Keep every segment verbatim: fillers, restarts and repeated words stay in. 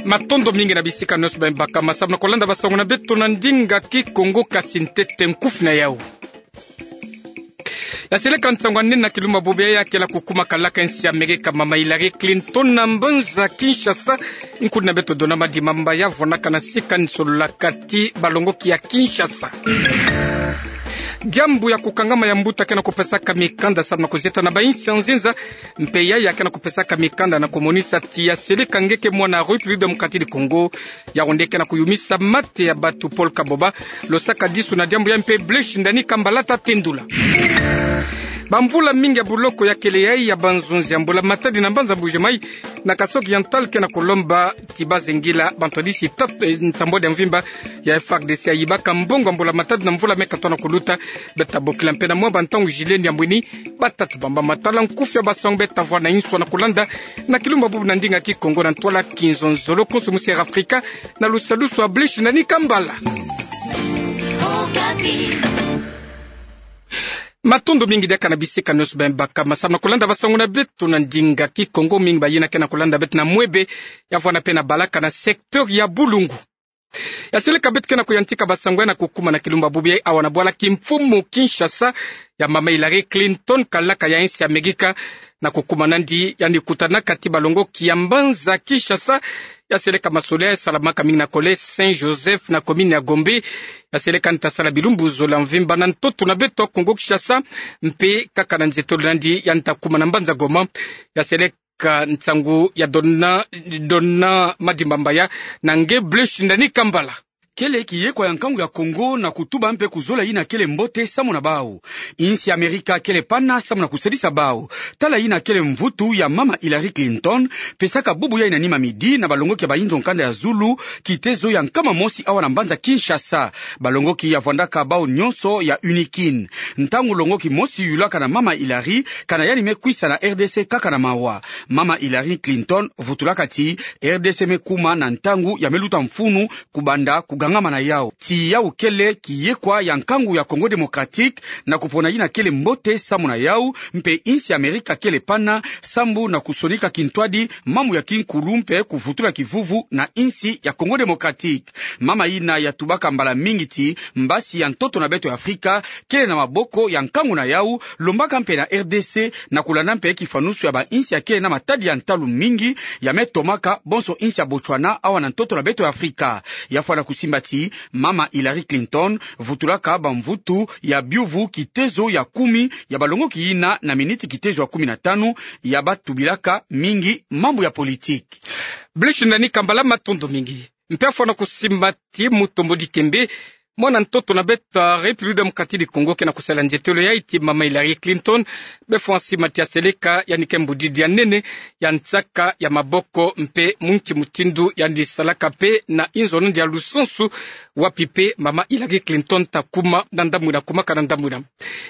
Matondo mingi na bisika nyonso beno bakama samu na kolanda basango na beto na ndinga Kikongo, kasi ntete nkufi na yau. Ya seleka nsangu ya nene na kilumbu bubu yayi ya kele kukuma kalaka ya nsi Amerika, mama Hillary Clinton, na mbanza Kinshasa. Nkundi na beto Dona Madimba Mbaya vwanaka na sika ni solola kati balongoki ya Kinshasa. Diambu ya kukangama ya mbuta ke na kupesaka mikanda samu na kuzieta na bainsi ya nzinza, mpe yaya ke na kupesaka mikanda na kumonisa ti ya seleka nge ke mwana République Démocratique du Congo, yawu nde ke na kuyumisa mate ya bato, Paul Kaboba, lo sakadisu na diambu yayi mpe Blaise Ndani Kambala ta tendula. Bamvula mingi ya boloko ya kele yayi ya banzonzi ya mbula matadi na mbanza Mbuji-Mayi, na Kasaï Oriental, ke na kulomba ti bazengila bantwadisi tatu, eh, nsambwadi ya mvimba ya F A R D C ya yibaka mbongo ya mbula matadi na mvula me katoa na kuluta. Beta bokila mpe na mwa bantangu jileni ya mwini batata bamba matala nkufi ya basango beta vwa na inswa na kulanda na kilumbu bubu na ndinga Kikongo na ntwala Kinzonzolo, konso musi Air Afrika, na lusadusu ya Blaise Ndani Kambala. Matondo mingi diaka na bisika nyonso beno bakama samu na kulanda basango na beto na ndinga Kikongo. Mingi bayina ke na kulanda beto na mwebe, ya vwanda mpe na balaka na secteur ya Boulungu. Ya seleka beto ke na kuyantika basango yayi na kukuma na kilumbu bubu yayi awa na bwala kimfumu Kinshasa ya mama Hillary Clinton, kalaka ya insi Amerika, na kukuma nandi yandi kutanaka ti balongoki ya mbanza Kinshasa. Ya seleka masolo yayi salamaka mingi na Collège Saint Joseph na commune ya Gombe. Ya seleka nta sala bilumbu zola mvimba na ntoto na beto Kongo Kinshasa, mpe kaka na nzietolo nandi yandi ta kuma na mbanza Goma. Ya seleka nsangu ya Dona, Dona Madimba Mbaya na nge Blaise Ndani Kambala. Kele kiyekwa ya nkangu ya Kongo na kutuba mpe kuzola yina kele mbote samu na bawu. Insi Amerika kele pana samu na kusadisa bawu. Tala yina kele mvutu ya mama Hillary Clinton pesaka bubu yayi na nima midi na balongoki ya bayinzo nkanda ya zulu, kitezo ya nkama mosi awa na mbanza Kinshasa. Balongoki ya vwandaka bawu nyonso ya unikin. Ntangu longoki mosi yulaka na mama Hillary, kana yandi me kwisa na R D C kaka na mawa. Mama Hillary Clinton vutulaka ti R D C me kuma na ntangu ya me luta mfunu kubanda kugangama na yawu. Ti yawu kele kiyekwa ya nkangu ya Congo Démocratique na kupona yina kele mbote samu na yawu, mpe insi Amerika kele pana sambu na kusonika kintwadi mambu ya kinkulu mpe kuvutula kivuvu na insi ya Congo Démocratique. Mama yina ya tubaka mbala mingi ti mbasi ya ntoto na beto ya Afrika kele na maboko ya nkangu na yawu, lombaka mpe na R D C na kulanda mpe kifanusu ya bainsi ya kele na matadi ya ntalu mingi ya me tomaka bonso insi ya Botswana awa na ntoto na beto ya Afrika. Ya fwana kusimba ti mama Hillary Clinton vutulaka bamvutu ya biuvu kitezo ya kumi ya balongoki yina na miniti kitezo ya kumi na tanu ya batubilaka mingi mambu ya politique. Blaise Ndani Kambala, matondo mingi. Mpe ya fwana kusimba ti Mutombo Dikembe, mwana ntoto na beto ya République Démocratique du Congo, ke na kusala nzietolo yayi ti mama Hillary Clinton, befwa simba ti ya seleka yandi ke mbudidi ya nene ya nsaka ya maboko mpe mwinki mutindu yandi salaka mpe na inzo nandi ya lusansu, wapi mpe mama Hillary Clinton ta kuma na ndambu yina, kumaka na ndambu yina.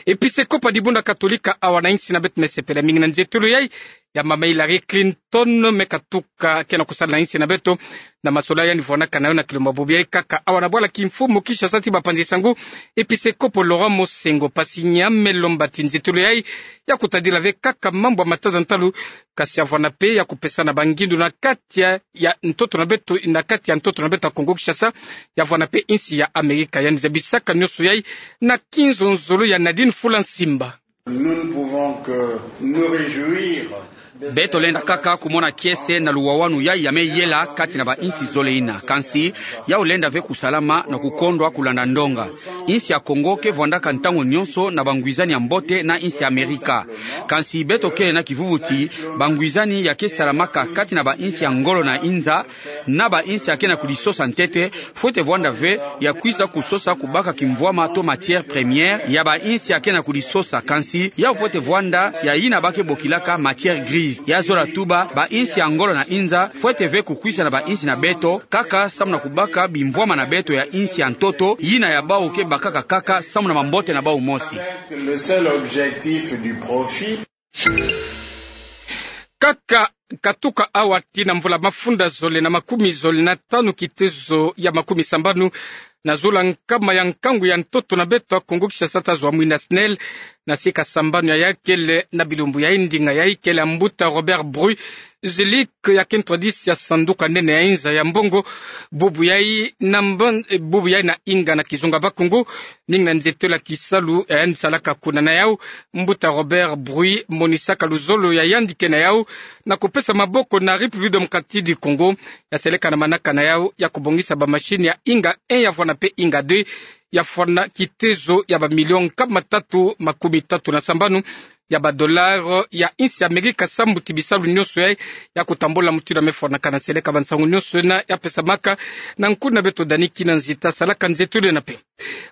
Episekopo ya dibundu katolika awa na insi na beto me sepela mingi na nzietolo yayi ya mama Hillary Clinton me katuka ke na kusala na insi na beto, na masolo yandi vwanaka na yo na kilumbu bubu yayi kaka awa na bwala kimfumu Kinshasa ti bapanzi sango, episekopo Laurent Monsengwo Pasinya me lomba ti nzietolo yayi ya kutadila ve kaka mambu ya matata ntalu, kasi ya vwanda mpe ya kupesana bangindu na kati ya, ya ntoto na beto, na kati ya ntoto na beto ya Congo Kinshasa, ya vwanda mpe insi ya Amerika. Yandi zabisaka nyonso yayi na kinzonzolo ya Nadine Fula Nsimba. Nous ne pouvons que nous réjouir de Beto lenda kaka kumona kiese na luwawanu yayi ya me yela kati na bainsi zole yina. Kansi, yawu lenda ve kusalama na kukondwa kulanda ndonga. Insi ya Congo ke vwandaka ntangu nyonso na bangwizani ya mbote na insi ya Amerika. Kansi beto kele na kivuvu ti bangwizani ya ke salamaka kati na bainsi ya ngolo na inza, na bainsi ya ke na kudisosa ntete, fwete vwanda ve ya kwisa kusosa kubaka kimvwama to matière première ya bainsi ya ke na kudisosa, kansi yawu fwete vwanda ya yina ba ke bokilaka matière grise. Ya zola tuba, bainsi ya ngolo na inza fwete ve kukwisa na bainsi na beto kaka samu na kubaka bimvwama na beto ya insi ya ntoto, yina ya bawu ke bakaka kaka samu na mambote na bawu mosi. Avec le seul objectif du profit. Kaka katuka awa tii na mvula mafunda zole na makumi zole na tanu kitezo ya makumi sambanu, na zulu ya nkama ya nkangu ya ntoto na beto ya Kongo Kinshasa, ta zwa mwinda SNEL, na sika sambanu ya ya kele na bilumbu yai. Ndinga yai kele ya mbuta Robert Bruy Zilik, ya ke ntwadisi ya sanduka nene ya inza ya mbongo, bubu yai na mban-, eh, bubu yai na inga na kizunga Bakongo, mingi na nzietelo ya kisalu ya yandi salaka kuna. Na yau, mbuta Robert Bruy monisaka luzolo ya yandi ke na yau na kupesa maboko na République Démocratique du Congo, ya seleka na manaka na yau ya kubongisa bamashini ya inga un ya fwana mpe inga deux, ya fwana kitezo ya bamilio nkama tatu makumi tatu na sambanu ya badolare ya insi ya Amerika, sambu ti bisalu nyonso yai ya kutambula mutindu ya me fwanaka. Na seleka bansangu nyonso yina ya pesamaka na nkuna na beto Dani Kinanzita, salaka nzietelo yina mpe.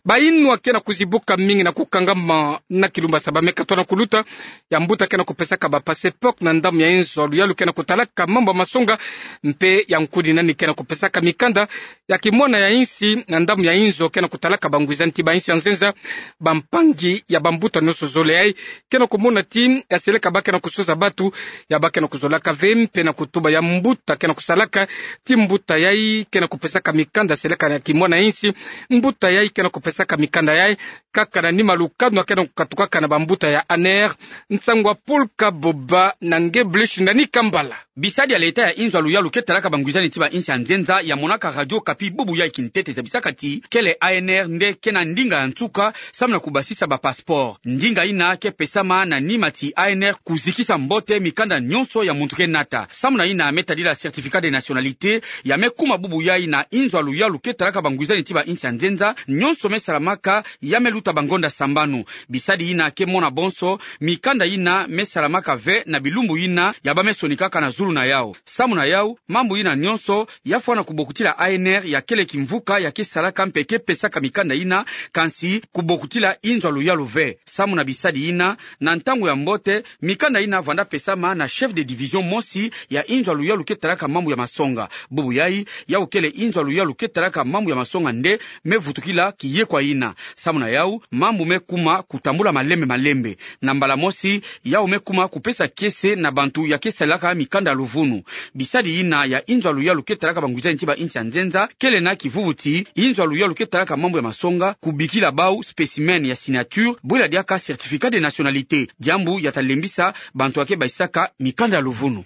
Bayinwa ke na kuzibuka mingi na kukangama na kilumbu ya saba me katwa na kuluta, ya mbuta ke na kupesaka bapasseport na ndambu ya inzo ya luyalu ke na kutalaka mambu ya masonga, mpe ya nkuni nani ke na kupesaka mikanda ya kimwana ya insi na ndambu ya inzo ke na kutalaka bangwizani ti ba insi ya nzenza, bampangi ya bambuta nyonso zole yai ke na kumona ti ya seleka ba ke na kusosa batu, ya ba ke na kuzolaka ve, mpe na kutuba ya mbuta ke na kusalaka ti mbuta yai ke na kupesaka mikanda seleka na kimwana ya insi, mbuta yai ke na kupesaka mikanda yai kaka na nima lukanu ya ke na kukatukaka na bambuta ya ANR. Nsangu ya Paul Kaboba na nge Blaise Ndani Kambala. Bisadi ya leta ya inzo ya luyalu ke talaka bangwizani ti ba insi ya nzenza ya monaka Radio Okapi bubu yai kintete zabisaka ti kele ANR nde ke na ndinga ya nsuka samu na kubasisa bapasseport. Ndinga yina ke pesama na nima ti ANR kuzikisa mbote mikanda nyonso ya muntu ke nata. Samu na yina me tadila certificat de nationalité, ya me kuma bubu yai na inzo ya luyalu ke talaka bangwizani ti ba insi ya nzenza, nyonso me salamaka ya me luta bangonda sambanu. Bisadi yina ke mona bonso mikanda yina me salamaka ve na bilumbu yina ya ba me sonikaka na zulu na yau. Samu na yau, mambu yina nyonso ya fwana kubokutila ANR ya kele kimvuka ya ke salaka mpe ke pesaka mikanda yina, kansi kubokutila inzo ya luyalu ve. Samu na bisadi yina, na ntangu ya mbote, mikanda yina vanda pesama na chef de division mosi ya inzo ya luyalu ke talaka mambu ya masonga. Bubu yai, yau kele inzo ya luyalu ke talaka mambu ya masonga nde me vutukila kiyekwa yina. Samu na yau, mambu me kuma kutambula malembe malembe. Na mbala mosi, yau me kuma kupesa kiese na bantu ya ke salaka mikanda ya luvunu. Bisadi yina ya inzo ya luyalu ke talaka bangwizani ti ba insi ya nzenza, kele na kivuvu ti inzo ya luyalu ke talaka mambu ya masonga kubikila bau spécimen ya signature, bwela diaka certificat de nationalité, diambu ya ta lembisa bantu ya ke basisaka mikanda ya luvunu.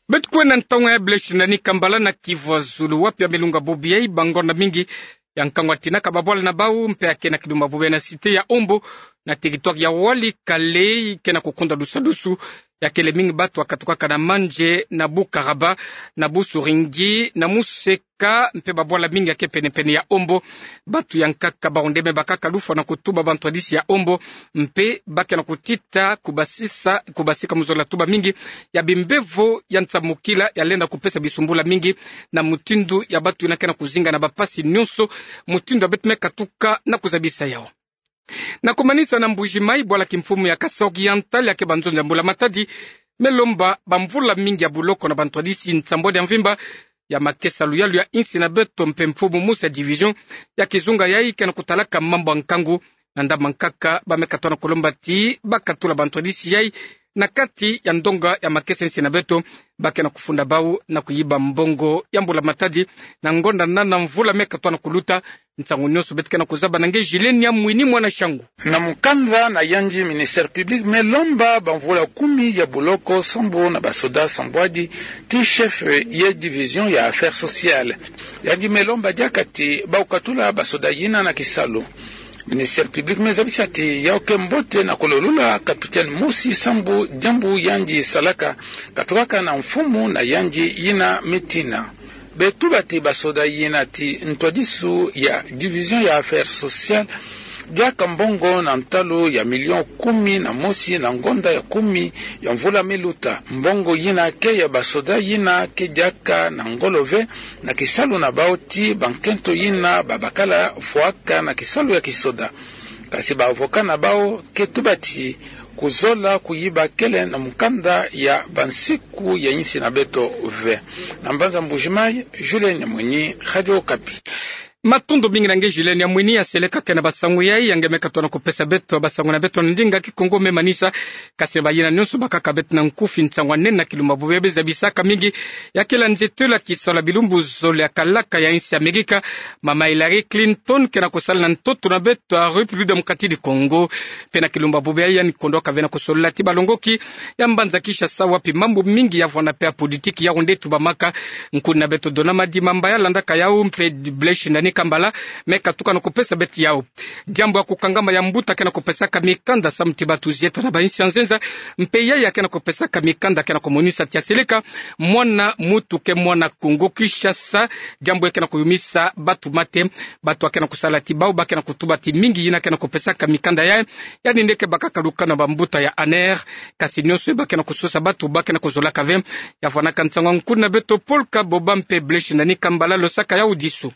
Beto kwenda na ntangu ya Blaise Ndani Kambala na Kivu ya Zulu, wapi ya me lunga bubu yai bangonda mingi ya nkangu ya tinaka babwala na bau mpe ya ke na kidumba bubu yai na cité ya Ombo, na territoire ya Walikale, ke na kukunda dusadusu ya kele mingi batu ya katukaka na Mandje, na Bukaraba, na Busuringi, na Museka, mpe babwala mingi ya ke pene-pene ya Ombo. Batu ya nkaka bawu nde me bakaka lufwa na kutuba bantwadisi ya Ombo, mpe ba ke na kutita kubasisa, kubasika mu zola tuba mingi ya bimbevo ya nsamukila ya lenda kupesa bisumbula mingi na mutindu ya batu yina ke na kuzinga na bapasi nyonso, mutindu ya beto me katuka na kuzabisa yawu. Na kumanisa na Mbuji-Mayi, bwala kimfumu ya Kasaï Oriental ya ke banzonza ya Mbula Matadi me lomba bamvula mingi ya buloko na bantwadisi nsambwadi ya mvimba ya makesa luyalu ya insi na beto mpe mfumu mosi ya division ya kizunga yai ke na kutalaka mambu ya nkangu na ndambu ya nkaka, ba me katwa na kulomba ti ba katula bantwadisi yai na kati ya ndonga ya makesa insi na beto, ba ke na kufunda bawu na kuyiba mbongo ya Mbula Matadi na ngonda nana mvula me katwa na kuluta. Nsangu nyonso beto ke na kuzaba na nge Julien Nyamwini mwana Shangu. Na mukanda na yandi, ministère public me lomba bamvula kumi ya buloko sambu na basoda sambwadi ti chef ya division ya affaires sociales. Yandi me lomba diaka ti ba katula basoda yina na kisalu. Ministère public me zabisa ti yawu ke mbote na kulolula capitaine mosi sambu diambu yandi salaka katukaka na mfumu na yandi yina me tina. Beto tuba ti basoda yina ti ntwadisu ya division ya affaires sociales diaka mbongo na ntalu ya million kumi na mosi na ngonda ya kumi ya mvula me luta. Mbongo yina ke ya basoda yina ke diaka na ngolo ve na kisalu na bawu ti bankento yina ba bakala fwaka na kisalu ya kisoda. Kasi ba avocat na bawu ke tuba ti kuzola kuyiba kele na mukanda ya bansiku ya insi na beto ve. Na mbanza Mbuji-Mayi, Julien Nyamwini, Radio Okapi. Matondo mingi na nge Julienne Yamwini, ya seleka kena basango yai, ya nge me katona kupesa beto basango na beto na ndinga Kikongo me manisa. Kasi bayina nyonso bakaka beto na nkufi, nsangu anene na kilumba bobebe zabisaka mingi ya kela nzeto la kisola bilumbu zole ya kalaka ya insi Amerika, mama Hillary Clinton, kena kusala na ntoto na beto ya République démocratique du Congo. Mpe na kilumba bobebe yai, yani kondwaka ve na kusolola ti balongoki ya mbanza Kinshasa, wapi mambu mingi ya vwanda mpe ya politiki ya onde tubamaka. Nkuni na beto Dona Madimba Mbayala landaka yau, mpe Blaise Shindani Kambala me katuka na kupesa beto yau. Diambu ya kukangama ya mbuta kena kupesaka mikanda samu ti batu zieto na bainsi ya nzenza, mpe yaya kena kupesaka mikanda kena kumonisa ti ya seleka mwana mutu ke mwana Kongo Kinshasa. Diambu ya kena kuyumisa batu mate, batu ya kena kusala ti bau ba kena kutuba ti mingi yina kena kupesaka mikanda yai, yani nde ke bakaka lukanu ya bambuta ya ANR. Kasi nyonso ba kena kusosa batu, ba kena kuzolaka ve. Ya vwanaka nsangu ya nkuni na beto Paul Kaboba mpe Blaise Shindani Kambala losaka yau disu.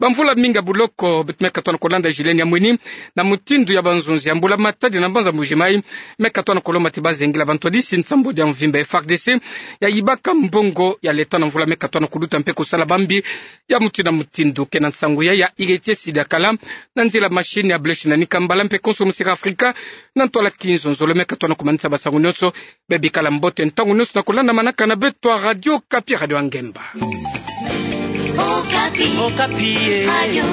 Bamvula mingi ya buloko, beto me katona kulanda Julienne Yamwini na mutindu ya banzonzi ya mbula matadi na mbanza Mbuji-Mayi, me katona kulomba ti bazengila bantwadisi nsambwadi ya mvimba ya FARDC ya yibaka mbongo ya leta na mvula me katona kuluta mpe kusala bambi ya mutindu na mutindu. Kena nsangu yai ya Héritier Sidakala na nzila machine ya Blaise Shindani Kambala mpe konso Musika Afrika na ntwala Kinzonzolo me katona kumanisa basango nyonso. Bebikala mbote ntangu nyonso na kulandamanaka na beto ya Radio Okapi, Radio ya Ngemba. Okapi. Okapi, eh. Radio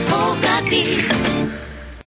Okapi.